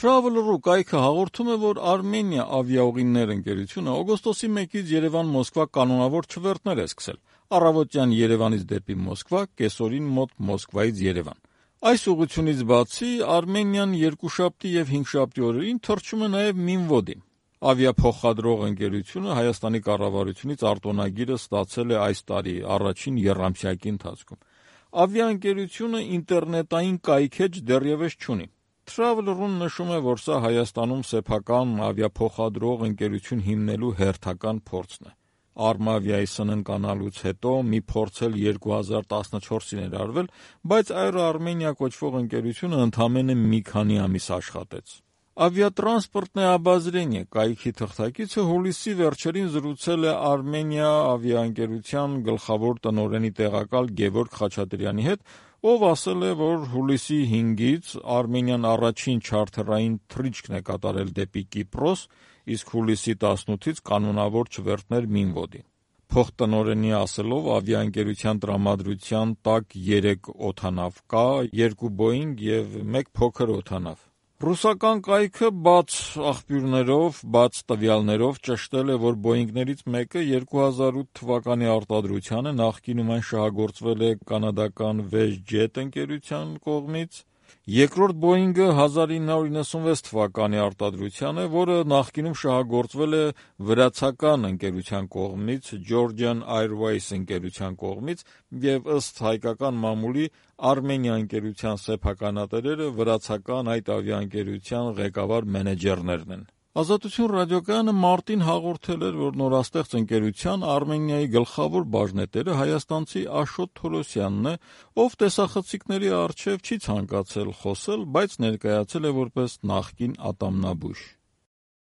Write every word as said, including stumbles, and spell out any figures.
Traveler-ը կայքը հաղորդում է, որ Armenia ավիաուղիներ ընկերությունը օգոստոսի մեկից Երևան-Մոսկվա կանոնավոր չվերթներ է սկսել։ Առավոտյան Երևանից դեպի Մոսկվա, կեսօրին մոտ Մոսկվայից Երևան։ Այս ուղղությունից բացի Armenian երկուշաբթի եւ հինգշաբթի օրերին թռչում է նաեւ Minvod-ի։ Ավիափոխադրող ընկերությունը Հայաստանի կառավարությունից արտոնագիրը ստացել է այս տարի առաջին եռամսյակի ընթացքում։ Ավիաընկերությունը ինտերնետային կայքեջ դեռևս չունի։ Traveler-ում նշում է, որ սա Հայաստանում սեփական ավիափոխադրող ընկերություն հիմնելու հերթական փորձն է։ Armavia-ի սննկանալուց հետո մի փորձ էլ երկու հազար տասնչորսին էր արվել, բայց Air Armenia կոչվող ընկերությունը ընդամենը մի քանի ամիս աշխատեց։ Aviatransportное обозрение կայքի թղթակիցը հուլիսի վերջերին զրուցել է Armenia ավիաընկերության գլխավոր տնօրենի տեղակալ Գևորգ Խաչատրյանի հետ, ով ասել է, որ հուլիսի հինգից Armenian առաջին չարթերային թռիչքն է կատարել դեպի Կիպրոս, իսկ հուլիսի տասնութից կանոնավոր չվերթներ Minvod-ի։ Փոխտնօրենի ասելով, ավիաընկերության տրամադրության տակ երեք օդանավ կա, երկու Boeing եւ մեկ փոքր օդանավ։ Ռուսական կայքը բաց աղբյուրներով, բաց տվյալներով ճշտել է, որ Boeing-ներից մեկը երկու հազար ութ թվականի արտադրության է, նախկինում այն շահագործվել է կանադական WestJet ընկերության կողմից, երկրորդ Boeing-ը հազար ինը հարյուր իննսունվեց թվականի արտադրության է, որը նախկինում շահագործվել է վրացական ընկերության կողմից, Georgian Airways ընկերության կողմից, եւ ըստ հայկական մամուլի Armenia ընկերության սեփականատերերը վրացական այդ ավիաընկերության ղեկավար մենեջերներն են։ Ազատություն ռադիոկայանը մարտին հաղորդել էր, որ նորաստեղծ ընկերության Armenia-ի գլխավոր բաժնետերը հայաստանցի Աշոտ Թորոսյանն է, ով տեսախցիկների առջև չի ցանկացել խոսել, բայց ներկայացել է որպես նախկին ատամնաբույժ։